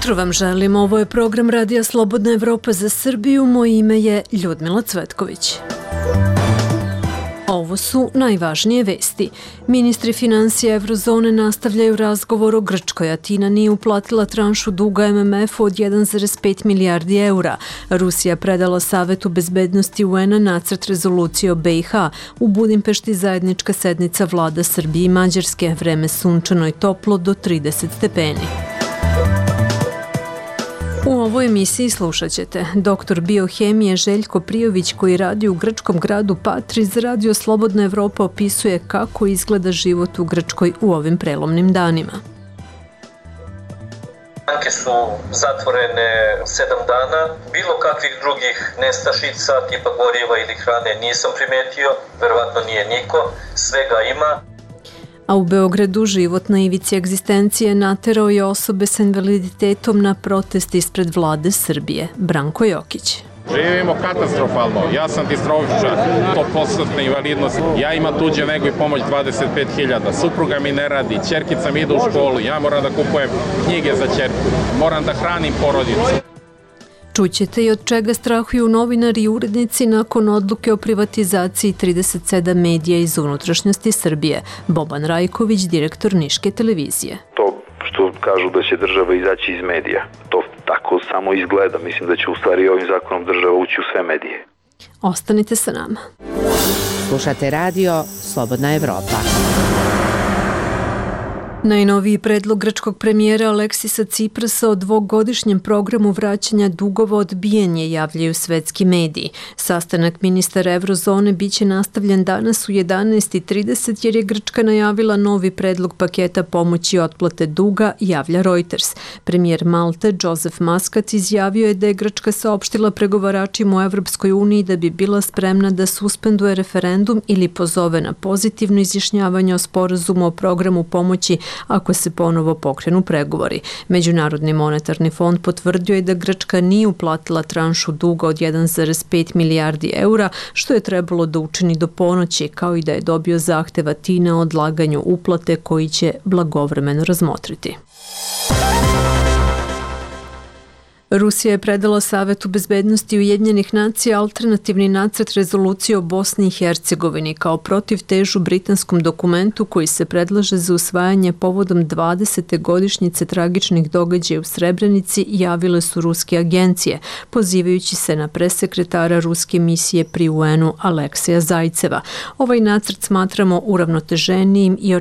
jutro vam želim. Ovo je program Radija Slobodna Evropa za Srbiju. Moje ime je Ljudmila Cvetković. Ovo su najvažnije vesti. Ministri financija Eurozone nastavljaju razgovor o Grčkoj. Atina nije uplatila tranšu duga MMF-u od 1,5 milijardi eura. Rusija predala Savetu bezbednosti UN-a nacrt rezolucije o BiH. U Budimpešti zajednička sednica vlada Srbije i Mađarske. Vreme sunčano i toplo do 30 stepeni. U ovoj emisiji slušat ćete. Doktor biohemije Željko Prijović, koji radi u grčkom gradu Patri, za Radio Slobodna Evropa opisuje kako izgleda život u Grčkoj u ovim prelomnim danima. Banke su zatvorene 7 dana. Bilo kakvih drugih nestašica, tipa goriva ili hrane nisam primetio. Verovatno nije niko. Svega ima. A u Beogradu život na ivici egzistencije naterao je osobe sa invaliditetom na protest ispred vlade Srbije. Branko Jokić. Živimo katastrofalno. Ja sam distrofičar, 100% invalidnost. Ja imam tuđe nego i pomoć 25.000. Supruga mi ne radi, ćerkica mi ide u školu. Ja moram da kupujem knjige za ćerku. Moram da hranim porodicu. Čućete i od čega strahuju novinari i urednici nakon odluke o privatizaciji 37 medija iz unutrašnjosti Srbije. Boban Rajković, direktor Niške televizije. To što kažu da će država izaći iz medija, to tako samo izgleda. Mislim da će u stvari ovim zakonom država ući u sve medije. Ostanite sa nama. Slušate radio Slobodna Evropa. Najnoviji predlog grčkog premijera Aleksisa Ciprasa o dvogodišnjem programu vraćanja dugova odbijen je, javljaju svetski mediji. Sastanak ministara Eurozone biće nastavljen danas u 11:30 jer je Grčka najavila novi predlog paketa pomoći i otplate duga, javlja Reuters. Premijer Malte Joseph Muscat izjavio je da je Grčka saopštila pregovaračima u Evropskoj uniji da bi bila spremna da suspenduje referendum ili pozove na pozitivno izjašnjavanje o sporazumu o programu pomoći ako se ponovo pokrenu pregovori. Međunarodni monetarni fond potvrdio je da Grčka nije uplatila tranšu duga od 1,5 milijardi eura, što je trebalo da učini do ponoći, kao i da je dobio zahtev Atine o odlaganju uplate koji će blagovremeno razmotriti. Rusija je predala Savetu bezbednosti Ujedinjenih nacija alternativni nacrt rezolucije o Bosni i Hercegovini kao protivtežu britanskom dokumentu koji se predlaže za usvajanje povodom 20. godišnjice tragičnih događaja u Srebrenici, javile su ruske agencije, pozivajući se na presekretara ruske misije pri UN-u Aleksija Zajceva. Ovaj nacrt smatramo uravnoteženijim i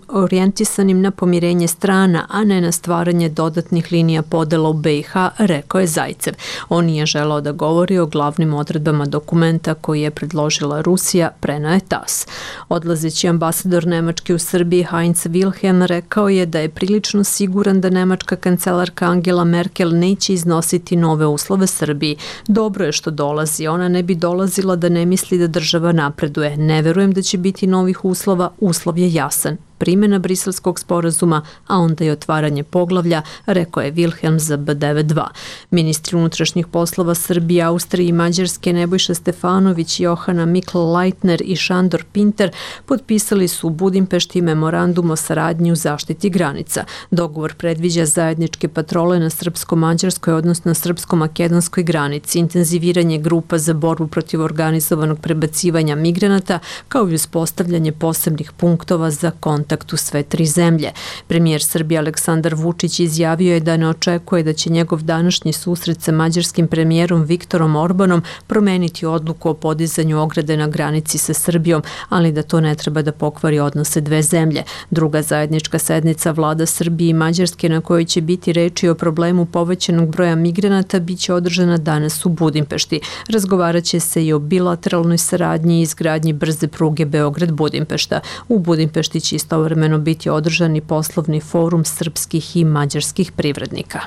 orijentisanim na pomirenje strana, a ne na stvaranje dodatnih linija podela u BiH, rekao je Zajcev. On nije želao da govori o glavnim odredbama dokumenta koji je predložila Rusija, preneo je TASS. Odlazeći ambasador Nemačke u Srbiji Heinz Wilhelm rekao je da je prilično siguran da nemačka kancelarka Angela Merkel neće iznositi nove uslove Srbiji. Dobro je što dolazi, ona ne bi dolazila da ne misli da država napreduje. Ne verujem da će biti novih uslova, uslov je jasan. Primjena briselskog sporazuma, a onda i otvaranje poglavlja, rekao je Wilhelm za B92. Ministri unutrašnjih poslova Srbije, Austrije i Mađarske Nebojša Stefanović, Johana Mikl-Leitner i Šandor Pinter potpisali su u Budimpešti memorandum o saradnji u zaštiti granica. Dogovor predviđa zajedničke patrole na srpsko-mađarskoj, odnosno srpsko-makedonskoj granici, intenziviranje grupa za borbu protiv organizovanog prebacivanja migranata, kao i uspostavljanje posebnih punktova za kontakt u sve tri zemlje. Premijer Srbije Aleksandar Vučić izjavio je da ne očekuje da će njegov današnji susret sa mađarskim premijerom Viktorom Orbanom promeniti odluku o podizanju ograde na granici sa Srbijom, ali da to ne treba da pokvari odnose dve zemlje. Druga zajednička sednica vlada Srbije i Mađarske na kojoj će biti reči o problemu povećanog broja migranata biće održana danas u Budimpešti. Razgovarat će se i o bilateralnoj saradnji i izgradnji brze pruge Beograd-Budimpešta. U Budimpešti će istovremeno biti održani poslovni forum srpskih i mađarskih privrednika.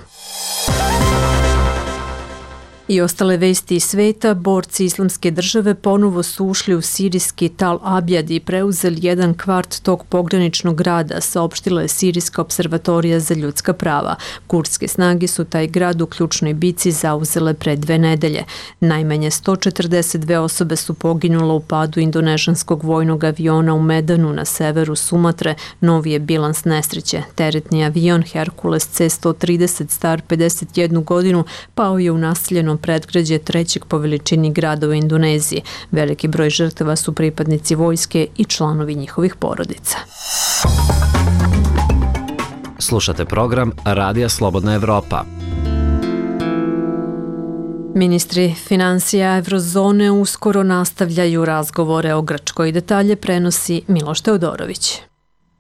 I ostale vesti iz sveta, borci Islamske države ponovo su ušli u sirijski Tal Abjad i preuzeli jedan kvart tog pograničnog grada, saopštila je Sirijska observatorija za ljudska prava. Kurdske snage su taj grad u ključnoj bici zauzele pre 2 nedelje. Najmanje 142 osobe su poginule u padu indonežanskog vojnog aviona u Medanu na severu Sumatre. Novi je bilans nesreće. Teretni avion Hercules C-130 star 51 godinu pao je u naseljenom predgrađe 3. po veličini grada u Indoneziji. Veliki broj žrtava su pripadnici vojske i članovi njihovih porodica. Slušate program Radija Slobodna Evropa. Ministri finansija Evrozone uskoro nastavljaju razgovore o Grčkoj. Detalje prenosi Miloš Teodorović.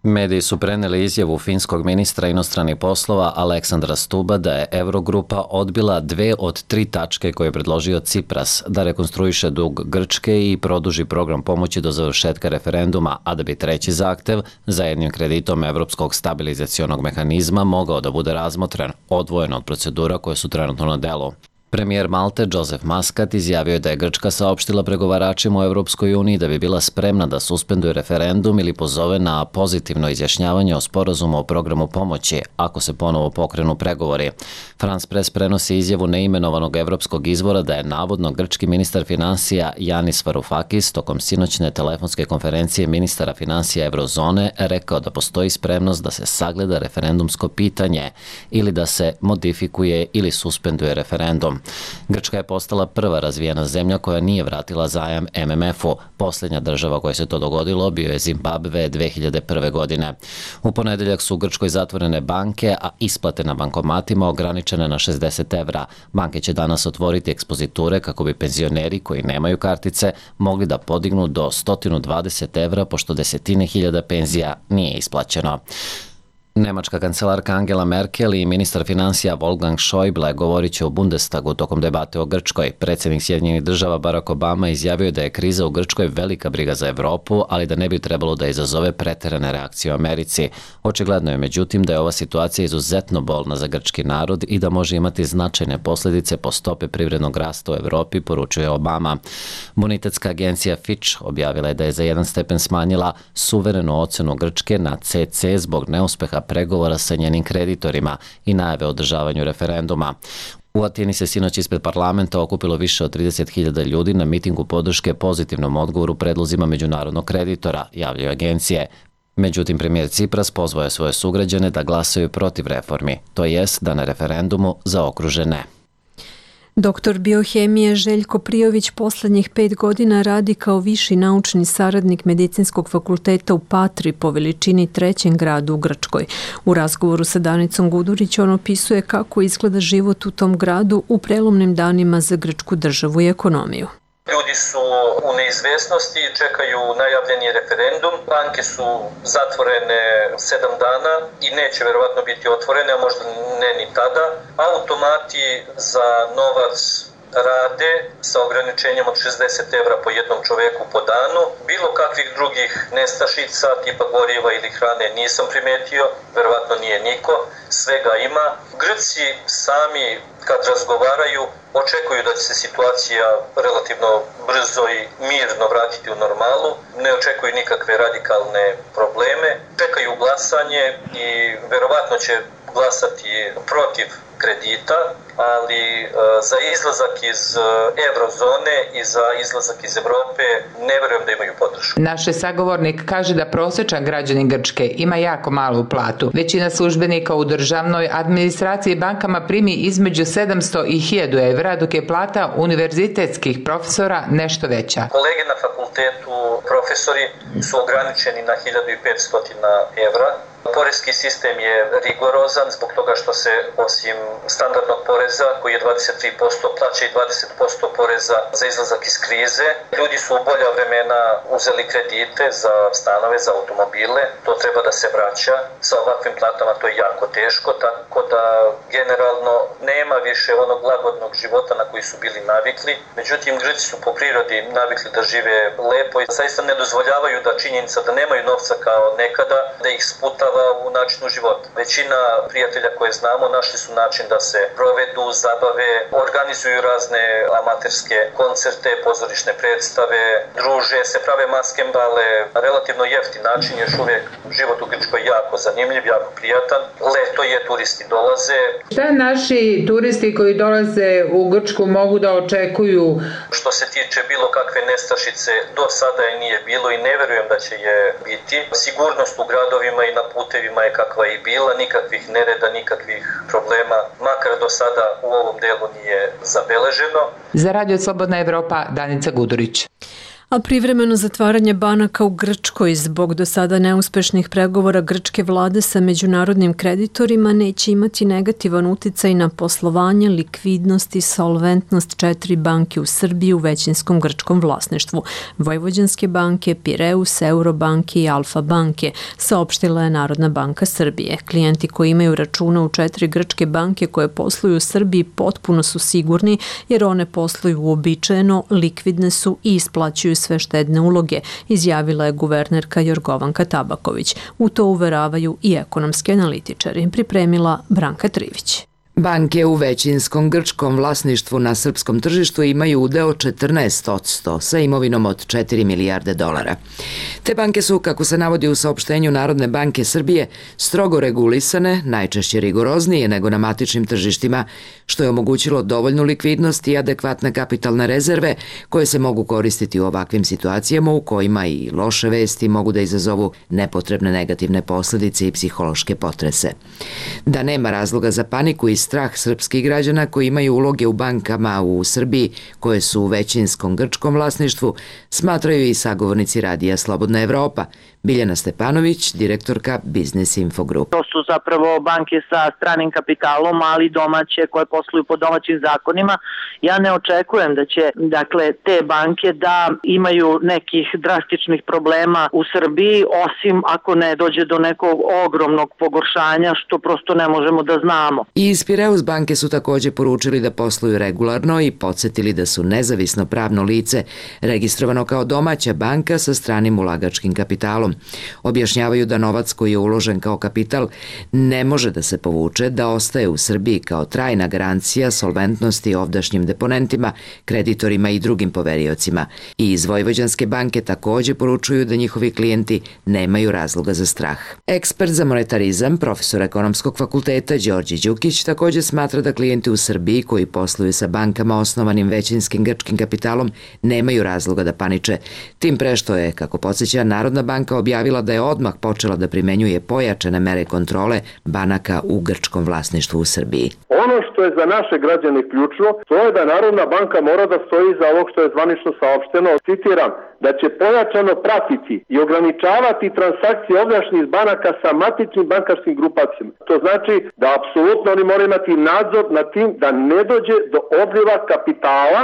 Mediji su preneli izjavu finskog ministra inostranih poslova Aleksandra Stuba da je Evrogrupa odbila 2 od 3 tačke koje je predložio Cipras, da rekonstruiše dug Grčke i produži program pomoći do završetka referenduma, a da bi 3. zahtev za jednim kreditom Evropskog stabilizacionog mehanizma mogao da bude razmotren, odvojen od procedura koje su trenutno na delu. Premijer Malte Joseph Muscat izjavio je da je Grčka saopštila pregovaračima u Evropskoj uniji da bi bila spremna da suspenduje referendum ili pozove na pozitivno izjašnjavanje o sporazumu o programu pomoći ako se ponovo pokrenu pregovori. France Press prenosi izjavu neimenovanog evropskog izvora da je navodno grčki ministar finansija Yanis Varoufakis tokom sinoćne telefonske konferencije ministara finansija Evrozone rekao da postoji spremnost da se sagleda referendumsko pitanje ili da se modifikuje ili suspenduje referendum. Grčka je postala prva razvijena zemlja koja nije vratila zajam MMF-u. Posljednja država koja se to dogodilo bio je Zimbabve 2001. godine. U ponedeljak su u Grčkoj zatvorene banke, a isplate na bankomatima ograničene na 60 evra. Banke će danas otvoriti ekspoziture kako bi penzioneri koji nemaju kartice mogli da podignu do 120 evra pošto desetine hiljada penzija nije isplaćeno. Nemačka kancelarka Angela Merkel i ministar finansija Wolfgang Schäuble govorit će u Bundestagu tokom debate o Grčkoj. Predsjednik Sjedinjenih država Barack Obama izjavio da je kriza u Grčkoj velika briga za Evropu, ali da ne bi trebalo da izazove preterane reakcije u Americi. Očigledno je međutim da je ova situacija izuzetno bolna za grčki narod i da može imati značajne posljedice po stope privrednog rasta u Evropi, poručuje Obama. Bonitetska agencija Fitch objavila je da je za 1 stepen smanjila suverenu ocenu Grčke na CC zbog neuspeha pregovora sa njenim kreditorima i najave o održavanju referenduma. U Atini se sinoć ispred parlamenta okupilo više od 30.000 ljudi na mitingu podrške pozitivnom odgovoru predlozima međunarodnog kreditora, javljaju agencije. Međutim, premijer Cipras pozvao je svoje sugrađane da glasaju protiv reformi, to jest da na referendumu zaokruže ne. Doktor biohemije Željko Prijović poslednjih 5 godina radi kao viši naučni saradnik Medicinskog fakulteta u Patri po veličini 3. gradu u Grčkoj. U razgovoru sa Danicom Gudurić on opisuje kako izgleda život u tom gradu u prelomnim danima za grčku državu i ekonomiju. Ljudi su u neizvesnosti, čekaju najavljeni referendum, banke su zatvorene 7 dana i neće verovatno biti otvorene, a možda ne ni tada. Automati za novac rade sa ograničenjem od 60 evra po jednom čoveku po danu. Bilo kakvih drugih nestašica, tipa goriva ili hrane nisam primetio, verovatno nije niko, svega ima. Grci sami kad razgovaraju očekuju da će se situacija relativno brzo i mirno vratiti u normalu, ne očekuju nikakve radikalne probleme, čekaju glasanje i verovatno će glasati protiv kredita, ali za izlazak iz Evrozone i za izlazak iz Evrope ne verujem da imaju podršku. Naš sagovornik kaže da prosječan građanin Grčke ima jako malu platu. Većina službenika u državnoj administraciji i bankama primi između 700 i 1000 evra, dok je plata univerzitetskih profesora nešto veća. Kolege na fakultetu, profesori su ograničeni na 1500 evra. Poreski sistem je rigorozan zbog toga što se osim standardnog poreza koji je 23% plaća i 20% poreza za izlazak iz krize. Ljudi su u bolja vremena uzeli kredite za stanove, za automobile, to treba da se vraća. Sa ovakvim platama to je jako teško, tako da generalno nema više onog lagodnog života na koji su bili navikli. Međutim, Grci su po prirodi navikli da žive lepo i zaista ne dozvoljavaju da činjenica da nemaju novca kao nekada, da ih sputava odražava u načinu života. Većina prijatelja koje znamo našli su način da se provedu, zabave, organizuju razne amaterske koncerte, pozorišne predstave, druže se, prave maskembale, relativno jeftin način, još uvijek život u Grčkoj jako zanimljiv, jako prijatan. Leto je, turisti dolaze. Šta naši turisti koji dolaze u Grčku mogu da očekuju? Što se tiče bilo kakve nestašice, do sada je nije bilo i ne verujem da će je biti. Sigurnost u gradovima i na putevima je kakva i bila, nikakvih nereda, nikakvih problema, makar do sada u ovom delu nije zabeleženo. Za Radio Slobodna Evropa, Danica Gudurić. A privremeno zatvaranje banaka u Grčkoj zbog do sada neuspešnih pregovora grčke vlade sa međunarodnim kreditorima neće imati negativan uticaj na poslovanje, likvidnost i solventnost 4 banke u Srbiji u većinskom grčkom vlasništvu: Vojvođanske banke, Pireus, Eurobanke i Alfa banke, saopštila je Narodna banka Srbije. Klijenti koji imaju račune u 4 grčke banke koje posluju u Srbiji potpuno su sigurni jer one posluju uobičajeno, likvidne su i isplaćuju sve štedne uloge, izjavila je guvernerka Jorgovanka Tabaković. U to uveravaju i ekonomski analitičari. Pripremila Branka Trivić. Banke u većinskom grčkom vlasništvu na srpskom tržištu imaju udeo 14% sa imovinom od 4 milijarde dolara. Te banke su, kako se navodi u saopštenju Narodne banke Srbije, strogo regulisane, najčešće rigoroznije nego na matičnim tržištima, što je omogućilo dovoljnu likvidnost i adekvatne kapitalne rezerve koje se mogu koristiti u ovakvim situacijama u kojima i loše vesti mogu da izazovu nepotrebne negativne posljedice i psihološke potrese. Da nema razloga za paniku i strah srpskih građana koji imaju uloge u bankama u Srbiji koje su u većinskom grčkom vlasništvu, smatraju i sagovornici Radija Slobodna Evropa. Biljana Stepanović, direktorka Biznis Info Group. To su zapravo banke sa stranim kapitalom, ali domaće koje posluju po domaćim zakonima. Ja ne očekujem da će te banke da imaju nekih drastičnih problema u Srbiji, osim ako ne dođe do nekog ogromnog pogoršanja, što prosto ne možemo da znamo. I iz Pireus banke su također poručili da posluju regularno i podsjetili da su nezavisno pravno lice registrovano kao domaća banka sa stranim ulagačkim kapitalom. Objašnjavaju da novac koji je uložen kao kapital ne može da se povuče, da ostaje u Srbiji kao trajna garancija solventnosti ovdašnjim deponentima, kreditorima i drugim poveriocima. I iz Vojvođanske banke također poručuju da njihovi klijenti nemaju razloga za strah. Ekspert za monetarizam, profesor ekonomskog fakulteta Đorđe Đukić, također smatra da klijenti u Srbiji koji posluju sa bankama osnovanim većinskim grčkim kapitalom nemaju razloga da paniče. Tim pre što je, kako podsjeća, Narodna banka objavila da je odmah počela da primenjuje pojačane mere kontrole banaka u grčkom vlasništvu u Srbiji. Ono što je za naše građane ključno, to je da Narodna banka mora da stoji iza ovog što je zvanično saopšteno, citiram, da će pojačano pratiti i ograničavati transakcije ovdašnjih banaka sa matičnim bankarskim grupacijama. To znači da apsolutno oni moraju imati nadzor nad tim da ne dođe do odliva kapitala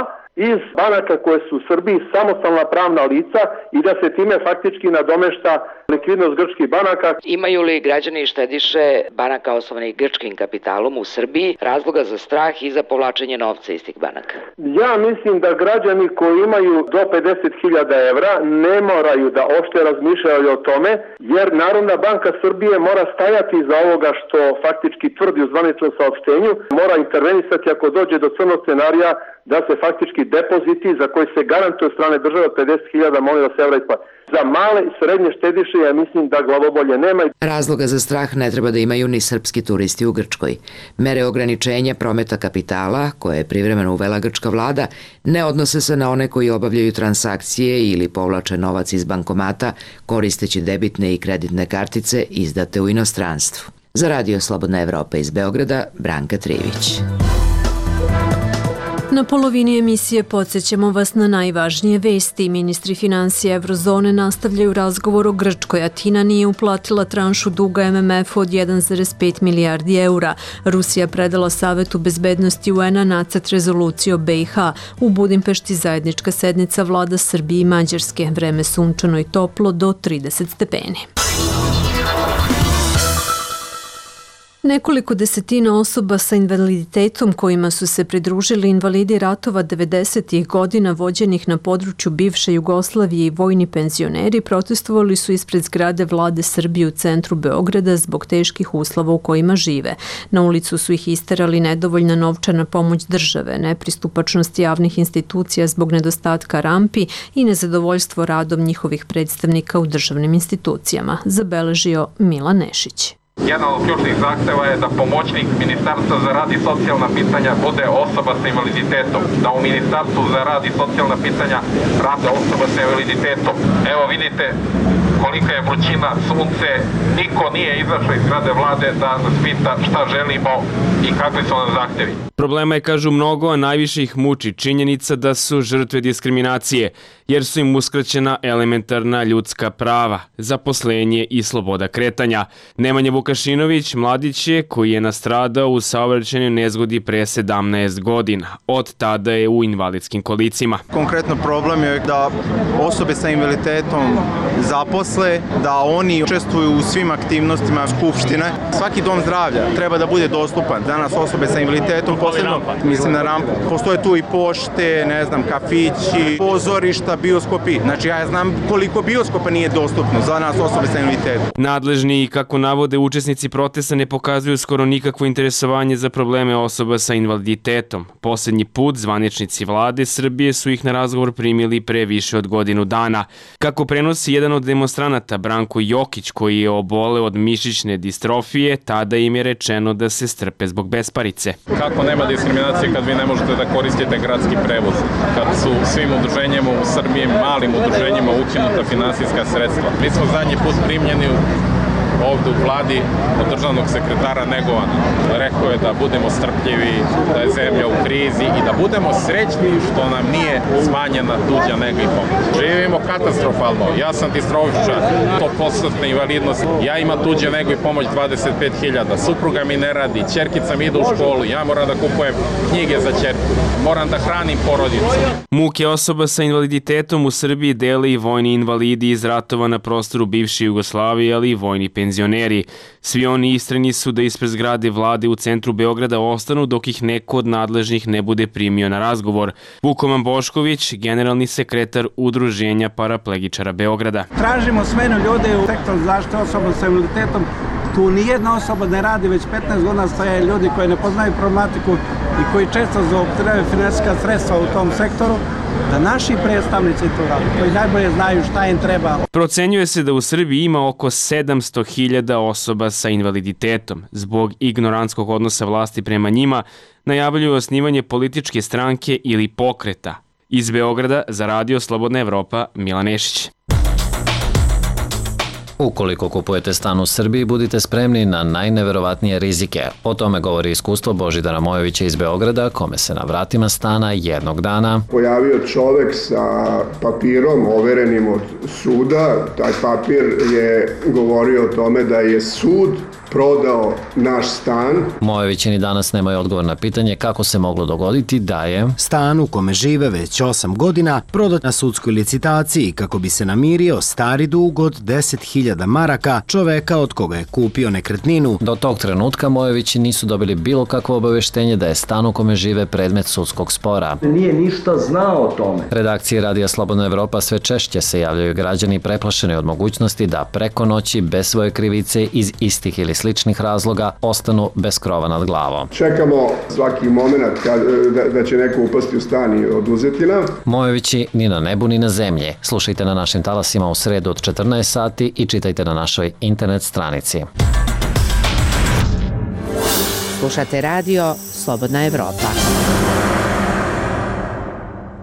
iz banaka koje su u Srbiji samostalna pravna lica i da se time faktički nadomešta likvidnost grčkih banaka. Imaju li građani i štediše banaka osnovanih grčkim kapitalom u Srbiji razloga za strah i za povlačenje novca iz tih banaka? Ja mislim da građani koji imaju do 50.000 evra ne moraju da uopšte razmišljaju o tome, jer Narodna banka Srbije mora stajati iza ovoga što faktički tvrdi u zvaničnom saopštenju, mora intervenisati ako dođe do crnog scenarija da se faktički depoziti za koji se garantuje od strane države 50.000 molim vas evra isplati. Za male i srednje štediše ja mislim da glavobolje nema. Razloga za strah ne treba da imaju ni srpski turisti u Grčkoj. Mere ograničenja prometa kapitala, koje je privremeno uvela grčka vlada, ne odnose se na one koji obavljaju transakcije ili povlače novac iz bankomata koristeći debitne i kreditne kartice izdate u inostranstvu. Za Radio Slobodna Evropa iz Beograda, Branka Trivić. Na polovini emisije podsjećamo vas na najvažnije vesti. Ministri financija Eurozone nastavljaju razgovor o Grčkoj. Atina nije uplatila tranšu duga MMF-u od 1,5 milijardi eura. Rusija predala Savetu bezbednosti UN-a nacrt rezolucije o BiH. U Budimpešti zajednička sednica vlada Srbije i Mađarske. Vreme sunčano i toplo do 30 stepeni. Nekoliko desetina osoba sa invaliditetom kojima su se pridružili invalidi ratova 90. godina vođenih na području bivše Jugoslavije i vojni penzioneri protestovali su ispred zgrade Vlade Srbije u centru Beograda zbog teških uslova u kojima žive. Na ulicu su ih isterali nedovoljna novčana pomoć države, nepristupačnost javnih institucija zbog nedostatka rampi i nezadovoljstvo radom njihovih predstavnika u državnim institucijama, zabeležio Milan Nešić. Jedan od ključnih zahteva je da pomoćnik Ministarstva za rad i socijalna pitanja bude osoba sa invaliditetom, da u Ministarstvu za rad i socijalna pitanja rade osoba sa invaliditetom. Evo vidite kolika je vrućina, sunce, niko nije izašao iz zgrade vlade da nas pita šta želimo i kakvi su nam zahtevi. Problema je, kažu, mnogo, a najviše ih muči činjenica da su žrtve diskriminacije, jer su im uskraćena elementarna ljudska prava, zaposlenje i sloboda kretanja. Nemanja Vukašinović mladić je koji je nastradao u saobraćajnoj nezgodi pre 17 godina. Od tada je u invalidskim kolicima. Konkretno problem je da osobe sa invaliditetom zaposle, da oni učestvuju u svim aktivnostima skupštine. Svaki dom zdravlja treba da bude dostupan. Danas osobe sa invaliditetom, posebno mislim na rampu. Postoje tu i pošte, ne znam, kafići, pozorišta, bioskopi. Znači ja znam koliko bioskopa nije dostupno za nas osobe sa invaliditetom. Nadležni, kako navode učesnici protesta, ne pokazuju skoro nikakvo interesovanje za probleme osoba sa invaliditetom. Poslednji put zvaničnici Vlade Srbije su ih na razgovor primili pre više od godinu dana. Kako prenosi jedan od demonstranata, Branko Jokić, koji je oboleo od mišićne distrofije, tada im je rečeno da se strpe zbog besparice. Kako nema diskriminacije kad vi ne možete da koristite gradski prevoz? Kad su svim udruženjima u Srbiji, malim udruženjima, ukinuta finansijska sredstva. Mi smo zadnji put primljeni ovde u vladi od državnog sekretara Negovana. Rekao je da budemo strpljivi, da je zemlja u krizi i da budemo srećni što nam nije smanjena tuđa nega i pomoć. Živimo katastrofalno. Ja sam distrofičar, 100% invalidnost. Ja imam tuđe nego i pomoć 25.000. Supruga mi ne radi, ćerkica mi ide u školu, ja moram da kupujem knjige za ćerku, moram da hranim porodicu. Muke osoba sa invaliditetom u Srbiji dele i vojni invalidi iz ratova na prostoru bivše Jugoslavije, ali i vojni penzioneri. Svi oni istrajni su da ispred zgrade vlade u centru Beograda ostanu dok ih neko od nadležnih ne bude primio na razgovor. Vukoman Bošković, generalni sekretar Udruženja paraplegičara Beograda. Tražimo smenu ljude u sektoru zaštite osoba sa invaliditetom. Tu nijedna osoba ne radi, već 15 godina stoje ljudi koji ne poznaju problematiku i koji često zloupotrebljavaju finansijska sredstva u tom sektoru, da naši predstavnici to rade, koji najbolje znaju šta im treba. Procenjuje se da u Srbiji ima oko 700.000 osoba sa invaliditetom. Zbog ignorantskog odnosa vlasti prema njima, najavljuju osnivanje političke stranke ili pokreta. Iz Beograda za Radio Slobodna Evropa, Milan Nešić. Ukoliko kupujete stan u Srbiji, budite spremni na najneverovatnije rizike. O tome govori iskustvo Božidara Mojovića iz Beograda, kome se na vratima stana jednog dana pojavio čovek sa papirom overenim od suda. Taj papir je govorio o tome da je sud prodao naš stan. Mojovići ni danas nemaju odgovor na pitanje kako se moglo dogoditi da je stan u kome žive već 8 godina prodat na sudskoj licitaciji kako bi se namirio stari dug od 10.000 maraka čoveka od koga je kupio nekretninu. Do tog trenutka Mojovići nisu dobili bilo kakvo obaveštenje da je stan u kome žive predmet sudskog spora. Nije ništa znao o tome. Redakcije Radija Slobodna Evropa sve češće se javljaju građani preplašeni od mogućnosti da preko noći bez svoje krivice iz istih ili sličnih razloga ostanu bez krova nad glavom. Čekamo svaki moment da će neko upasti u stan i oduzeti nam. Mojovići ni na nebu ni na zemlji. Slušajte na našim talasima u sredu od 14 sati i čitajte na našoj internet stranici. Slušate radio Slobodna Evropa.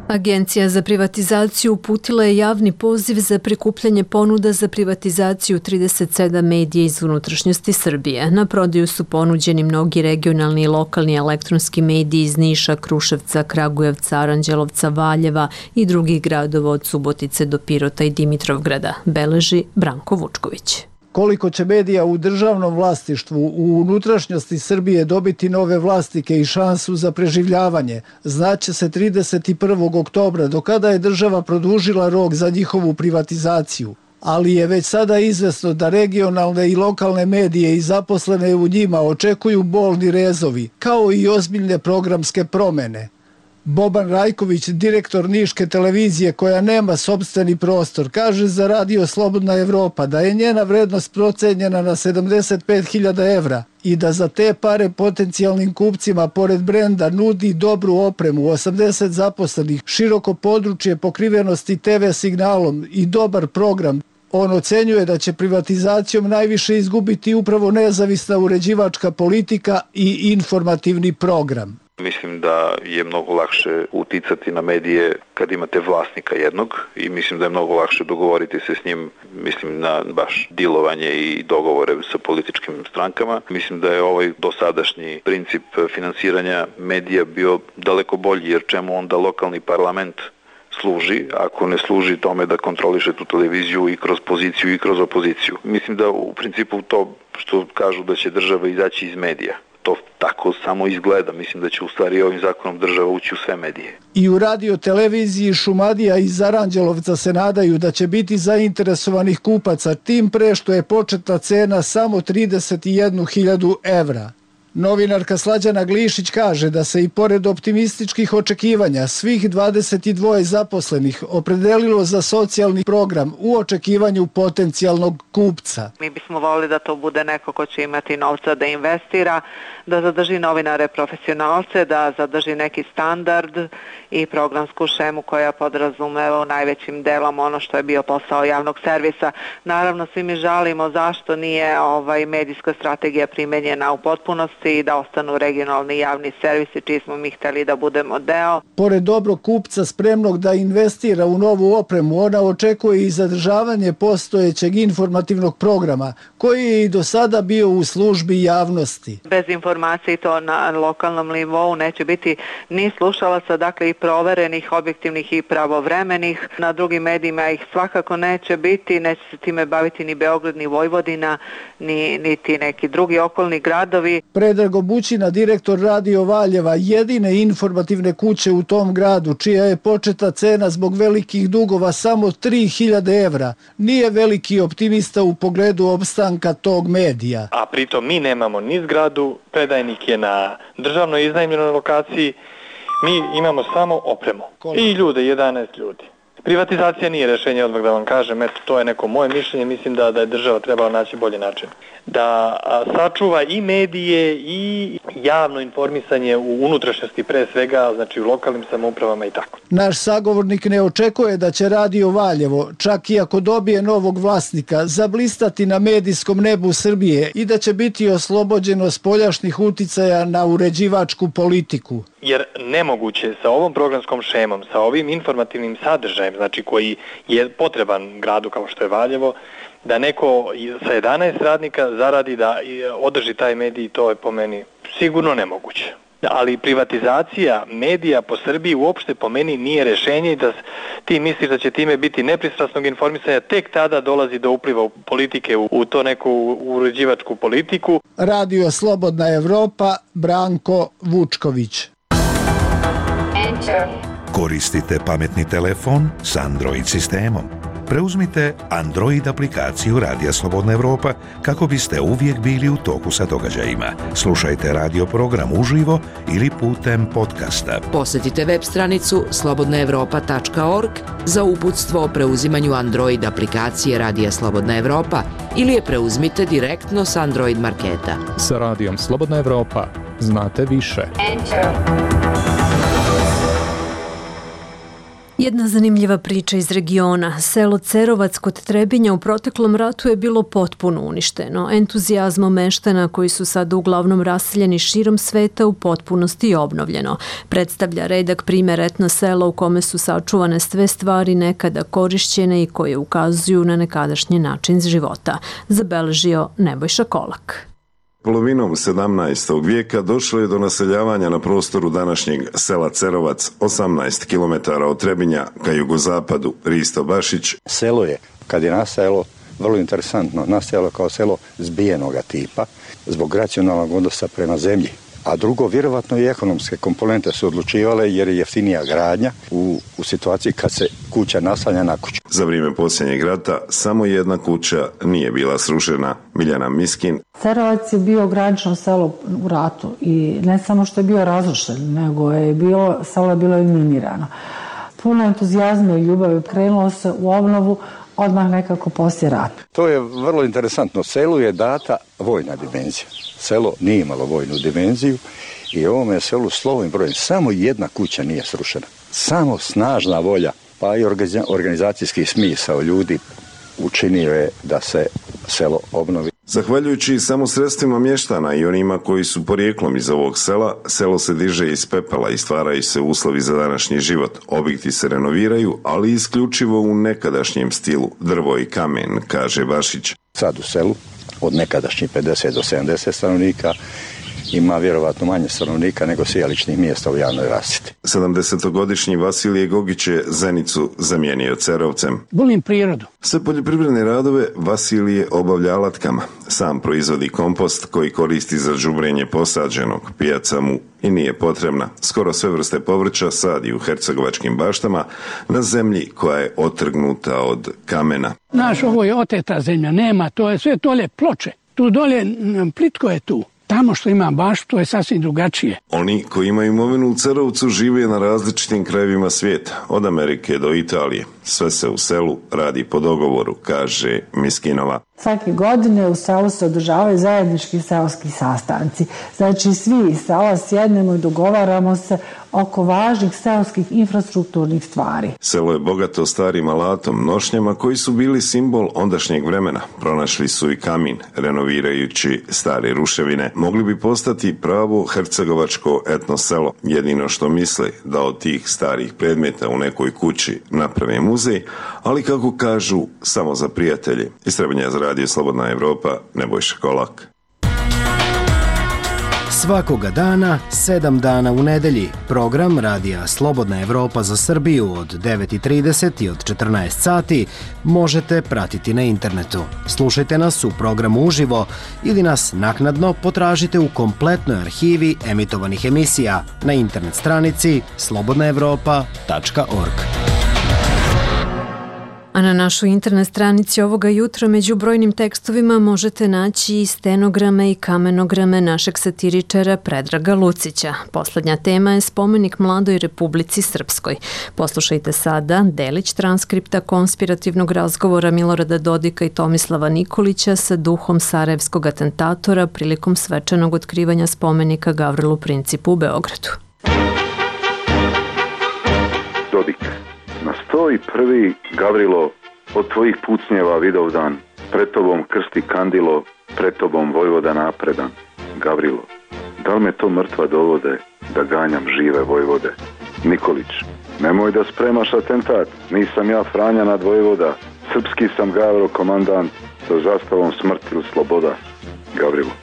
Agencija za privatizaciju uputila je javni poziv za prikupljanje ponuda za privatizaciju 37 medija iz unutrašnjosti Srbije. Na prodaju su ponuđeni mnogi regionalni i lokalni elektronski mediji iz Niša, Kruševca, Kragujevca, Aranđelovca, Valjeva i drugih gradova od Subotice do Pirota i Dimitrovgrada, beleži Branko Vučković. Koliko će medija u državnom vlasništvu u unutrašnjosti Srbije dobiti nove vlasnike i šansu za preživljavanje, znaće se 31. oktobra, do kada je država produžila rok za njihovu privatizaciju. ali je već sada izvesno da regionalne i lokalne medije i zaposlene u njima očekuju bolni rezovi, kao i ozbiljne programske promene. Boban Rajković, direktor Niške televizije koja nema sopstveni prostor, kaže za Radio Slobodna Evropa da je njena vrednost procenjena na 75.000 evra i da za te pare potencijalnim kupcima pored brenda nudi dobru opremu, 80 zaposlenih, široko područje pokrivenosti TV signalom i dobar program. On ocenjuje da će privatizacijom najviše izgubiti upravo nezavisna uređivačka politika i informativni program. Mislim da je mnogo lakše uticati na medije kad imate vlasnika jednog i mislim da je mnogo lakše dogovoriti se s njim, mislim na baš dilovanje i dogovore sa političkim strankama. Mislim da je ovaj dosadašnji princip finansiranja medija bio daleko bolji, jer čemu onda lokalni parlament služi, ako ne služi tome da kontroliše tu televiziju i kroz poziciju i kroz opoziciju. Mislim da u principu to što kažu da će država izaći iz medija, to tako samo izgleda. Mislim da će u stvari ovim zakonom država ući u sve medije. I u radio televiziji Šumadija iz Aranđelovca se nadaju da će biti zainteresovanih kupaca, tim pre što je početna cena samo 31.000 evra. Novinarka Slađana Glišić kaže da se i pored optimističkih očekivanja svih 22 zaposlenih opredelilo za socijalni program u očekivanju potencijalnog kupca. Mi bismo volili da to bude neko ko će imati novca da investira, da zadrži novinare profesionalce, da zadrži neki standard i programsku šemu koja podrazumeva u najvećim delom ono što je bio posao javnog servisa. Naravno, svi mi žalimo zašto nije medijska strategija primenjena u potpunosti i da ostanu regionalni javni servisi čiji smo mi hteli da budemo deo. Pored dobrog kupca spremnog da investira u novu opremu, ona očekuje i zadržavanje postojećeg informativnog programa koji je i do sada bio u službi javnosti. Bez informacije to na lokalnom nivou neće biti ni slušalaca, dakle i proverenih, objektivnih i pravovremenih. Na drugim medijima ih svakako neće biti, neće se time baviti ni Beograd, ni Vojvodina, niti neki drugi okolni gradovi. Predrag Bućina, direktor Radio Valjeva, jedine informativne kuće u tom gradu, čija je početna cena zbog velikih dugova samo 3.000 evra, nije veliki optimista u pogledu opstanka tog medija. A pritom mi nemamo ni zgradu, predajnik je na državnoj iznajmljenoj lokaciji, mi imamo samo opremu. I ljude, 11 ljudi. Privatizacija nije rešenje, odmah da vam kažem, eto, to je neko moje mišljenje, mislim da je država trebala naći bolji način. Da sačuva i medije i javno informisanje u unutrašnjosti pre svega, znači u lokalnim samoupravama i tako. Naš sagovornik ne očekuje da će Radio Valjevo, čak i ako dobije novog vlasnika, zablistati na medijskom nebu Srbije i da će biti oslobođeno spoljašnjih uticaja na uređivačku politiku. Jer nemoguće sa ovom programskom šemom, sa ovim informativnim sadržajem, znači koji je potreban gradu kao što je Valjevo, da neko sa 11 radnika zaradi da održi taj medij, to je po meni sigurno nemoguće. Ali privatizacija medija po Srbiji uopšte po meni nije rešenje i da ti misliš da će time biti nepristrasnog informisanja, tek tada dolazi do upliva politike u to neku uređivačku politiku. Radio Slobodna Evropa, Branko Vučković. Koristite pametni telefon s Android sistemom. Preuzmite Android aplikaciju Radija Slobodna Evropa kako biste uvijek bili u toku sa događajima. Slušajte radio program uživo ili putem podcasta. Posjetite web stranicu slobodnaevropa.org za uputstvo o preuzimanju Android aplikacije Radija Slobodna Evropa ili je preuzmite direktno s Android marketa. Sa Radijom Slobodna Evropa znate više. Jedna zanimljiva priča iz regiona. Selo Cerovac kod Trebinja u proteklom ratu je bilo potpuno uništeno. Entuzijazmom meštana koji su sada uglavnom raseljeni širom sveta u potpunosti obnovljeno. Predstavlja redak primjer etno sela u kome su sačuvane sve stvari nekada korišćene i koje ukazuju na nekadašnji način života. Zabeležio Nebojša Kolak. Polovinom 17. vijeka došlo je do naseljavanja na prostoru današnjeg sela Cerovac, 18 km od Trebinja ka jugozapadu. Risto Bašić. Selo je, kad je nastajalo, vrlo interesantno, nastajalo kao selo zbijenoga tipa, zbog racionalnog odnosa prema zemlji. A drugo, vjerovatno i ekonomske komponente su odlučivale jer je jeftinija gradnja u situaciji kad se kuća naslanja na kuću. Za vrijeme posljednjeg rata samo jedna kuća nije bila srušena. Miljana Miskin. Cerovac je bio granično selo u ratu i ne samo što je bio razrušen, nego je selo je bilo eliminirano. Puno entuzijazma i ljubavi krenulo se u obnovu odmah nekako poslije rata. To je vrlo interesantno. Selu je data vojna dimenzija. Selo nije imalo vojnu dimenziju i ovome selu slovom i brojem samo jedna kuća nije srušena. Samo snažna volja, pa i organizacijski smisao ljudi učinio je da se selo obnovi. Zahvaljujući samo sredstvima mještana i onima koji su porijeklom iz ovog sela, selo se diže iz pepela i stvaraju se uslovi za današnji život. Objekti se renoviraju, ali isključivo u nekadašnjem stilu, drvo i kamen, kaže Bašić. Sad u selu od nekadašnjih 50 do 70 stanovnika ima vjerovatno manje stanovnika nego sijališnih mjesta u javnoj rasvjeti. 70-godišnji Vasilije Gogić je Zenicu zamijenio Cerovcem. Volim prirodu. Sve poljoprivredne radove Vasilije obavlja alatkama. Sam proizvodi kompost koji koristi za đubrenje posađenog. Pijaca mu i nije potrebna. Skoro sve vrste povrća sadi u hercegovačkim baštama na zemlji koja je otrgnuta od kamena. Naš, ovo je oteta zemlja, nema, to je sve dole ploče. Tu dole plitko je tu. Tamo što ima baštu, to je sasvim drugačije. Oni koji imaju imovinu u Cerovcu žive na različitim krajevima svijeta, od Amerike do Italije. Sve se u selu radi po dogovoru, kaže Miskinova. Svake godine u selu se održavaju zajednički seoski sastanci. Znači svi iz sela sjednemo i dogovaramo se oko važnih seoskih infrastrukturnih stvari. Selo je bogato starim alatom, nošnjama koji su bili simbol ondašnjeg vremena. Pronašli su i kamin, renovirajući stare ruševine. Mogli bi postati pravo hercegovačko etno selo. Jedino što misle da od tih starih predmeta u nekoj kući naprave muzej, ali kako kažu, samo za prijatelje. Iz Trebinja za Radio Slobodna Evropa, Nebojša Kolak. Svakoga dana, 7 dana u nedelji, program Radija Slobodna Evropa za Srbiju od 9:30 i od 14 sati možete pratiti na internetu. Slušajte nas u programu uživo ili nas naknadno potražite u kompletnoj arhivi emitovanih emisija na internet stranici slobodnaevropa.org. A na našoj internet stranici ovoga jutra među brojnim tekstovima možete naći i stenograme i kamenograme našeg satiričara Predraga Lucića. Poslednja tema je spomenik Mladoj Republici Srpskoj. Poslušajte sada delić transkripta konspirativnog razgovora Milorada Dodika i Tomislava Nikolića sa duhom sarajevskog atentatora prilikom svečanog otkrivanja spomenika Gavrilu Principu u Beogradu. Dodik. Na 101. Gavrilo, od tvojih pucnjeva Vidovdan, pred tobom krsti kandilo, pred tobom Vojvoda napredan. Gavrilo, da li me to mrtva dovode, da ganjam žive Vojvode? Nikolić, nemoj da spremaš atentat, nisam ja Franja nad Vojvoda, srpski sam Gavro komandant, sa zastavom smrt ili sloboda. Gavrilo,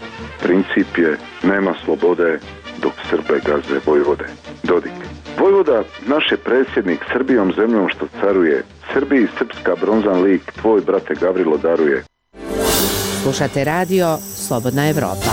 princip je, nema slobode, dok Srbe gaze Vojvode. Dodik. Vojvoda, naš je predsjednik Srbijom zemljom što caruje. Srbiji srpska bronzan lik tvoj, brate Gavrilo, daruje. Slušate radio Slobodna Evropa.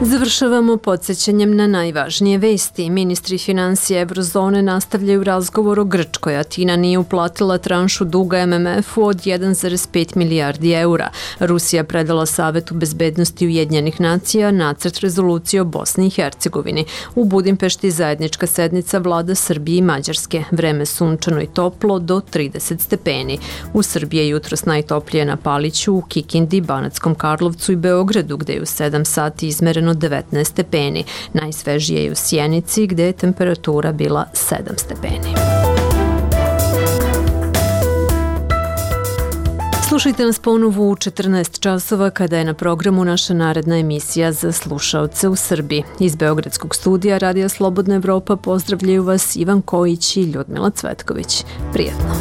Završavamo podsjećanjem na najvažnije vesti. Ministri financija Eurozone nastavljaju razgovor o Grčkoj. Atina nije uplatila tranšu duga MMF-u od 1,5 milijardi eura. Rusija predala Savetu bezbednosti Ujedinjenih nacija nacrt rezolucije o Bosni i Hercegovini. U Budimpešti zajednička sednica vlada Srbije i Mađarske. Vreme sunčano i toplo do 30 stepeni. U Srbiji je jutros najtoplije na Paliću, u Kikindi, Banatskom Karlovcu i Beogradu, gde je u 7 sati izmereno 19 stepeni. Najsvežije je u Sjenici, gde je temperatura bila 7 stepeni. Slušajte nas ponovo u 14 časova kada je na programu naša naredna emisija za slušaoce u Srbiji. Iz Beogradskog studija Radija Slobodna Evropa pozdravljaju vas Ivan Kojić i Ljudmila Cvetković. Prijetno!